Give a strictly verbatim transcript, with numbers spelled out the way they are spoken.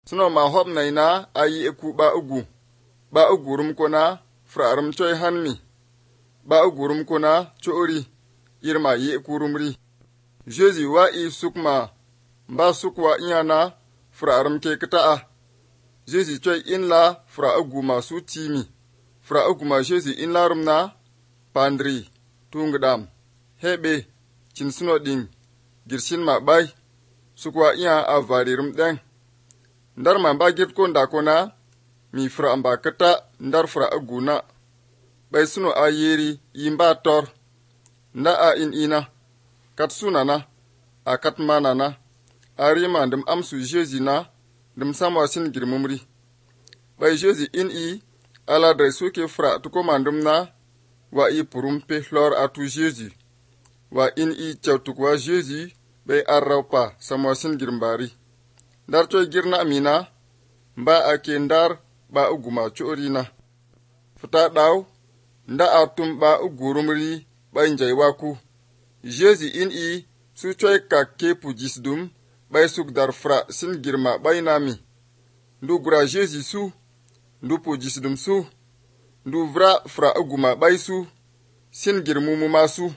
Suno ma hop na ina ayi eku ba ugu. Ba ugurum kona frarum choy hanmi. Ba ugurum kona chori. Irma yi ekurumri. Jésus wa i sukma. Ba sukwa inyana frarum ke kita'a. Jésus choy in la fra ugu ma su timi. Fra ugu ma Jésus in la rumna. Pandri. Tungdam. Hebe. Chin suno ding. Girshin ma bay. Sukwa iya avarirum deng. Ndar ma ba git ko ndakona. Mi fra amba kata ndar fra ugu na. Bay suno a yeri yimba tor. Nda a in ina. Kat sunana. A kat manana. A rima ndim amsu Jésus na. Ndim samwa sin girmumri. Bay Jésus in i. Ala drai suke fra tuko mandum na. Wa i purum pe hlor atu Jésus. Wa in i chautukwa Jésus. Bay arraupa samwa sin girmbari. Ndar choy girna amina. Mba ake ndar ba uguma chorina. Futa daw. Nda atum ba ugurumri. Bay njay waku. Jésus in i. Su choy kake pujisdum. Bay suk dar fra sin girma bay nami. Ndu gura Jésus su. Ndu pujisdum su. Ndu vra fra uguma bay su. Sin girmumu masu.